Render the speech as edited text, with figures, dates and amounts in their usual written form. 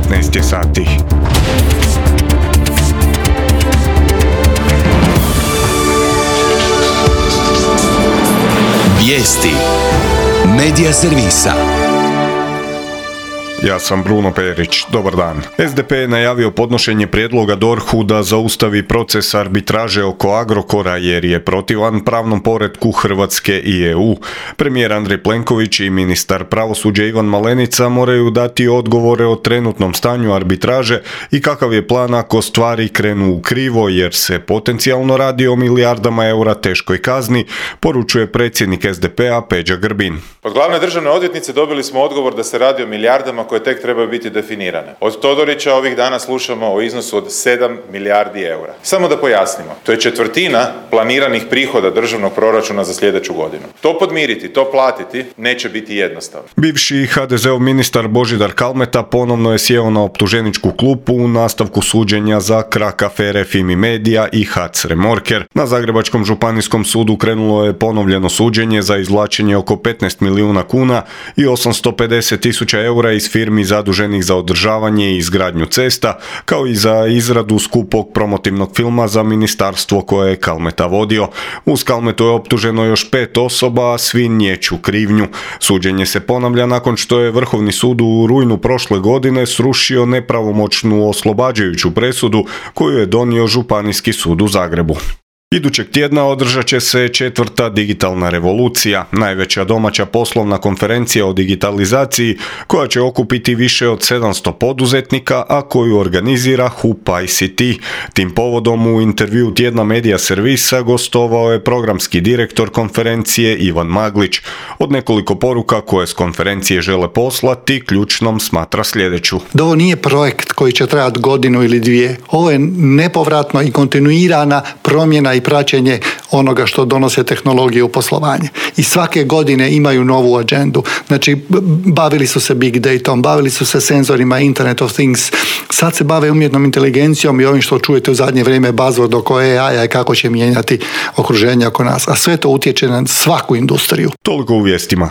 19 sati. Vijesti Medija servisa. Ja sam Bruno Perić, dobar dan. SDP je najavio podnošenje prijedloga DORH-u da zaustavi proces arbitraže oko Agrokora jer je protivan pravnom poretku Hrvatske i EU. Premijer Andrej Plenković i ministar pravosuđa Ivan Malenica moraju dati odgovore o trenutnom stanju arbitraže i kakav je plan ako stvari krenu u krivo jer se potencijalno radi o milijardama eura teškoj kazni, poručuje predsjednik SDP-a Peđa Grbin. Od glavne državne odvjetnice dobili smo odgovor da se radi o milijardama koje tek trebaju biti definirane. Od Todorića ovih dana slušamo o iznosu od 7 milijardi eura. Samo da pojasnimo, to je četvrtina planiranih prihoda državnog proračuna za sljedeću godinu. To podmiriti, to platiti neće biti jednostavno. Bivši HDZ-ov ministar Božidar Kalmeta ponovno je sjeo na optuženičku klupu u nastavku suđenja za krak afere Fimi Media i HAC Remorker. Na Zagrebačkom županijskom sudu krenulo je ponovljeno suđenje za izvlačenje oko 15 milijuna kuna i 850.000 eura iz firmi zaduženih za održavanje i izgradnju cesta, kao i za izradu skupog promotivnog filma za ministarstvo koje je Kalmeta vodio. Uz Kalmetu je optuženo još 5 osoba, a svi niječu krivnju. Suđenje se ponavlja nakon što je Vrhovni sud u rujnu prošle godine srušio nepravomoćnu oslobađajuću presudu koju je donio Županijski sud u Zagrebu. Idućeg tjedna održat će se 4. digitalna revolucija, najveća domaća poslovna konferencija o digitalizaciji koja će okupiti više od 700 poduzetnika, a koju organizira HUP ICT. Tim povodom u intervju Tjedna Medija servisa gostovao je programski direktor konferencije Ivan Maglić. Od nekoliko poruka koje s konferencije žele poslati, ključnom smatra sljedeću. Da ovo nije projekt koji će trajati godinu ili dvije. Ovo je nepovratno i kontinuirana promjena i praćenje onoga što donose tehnologije u poslovanje. I svake godine imaju novu agendu. Znači, bavili su se big datom, bavili su se senzorima, Internet of Things, sad se bave umjetnom inteligencijom i ovim što čujete u zadnje vrijeme buzzword oko AI-a i kako će mijenjati okruženje oko nas. A sve to utječe na svaku industriju. Toliko u vijestima.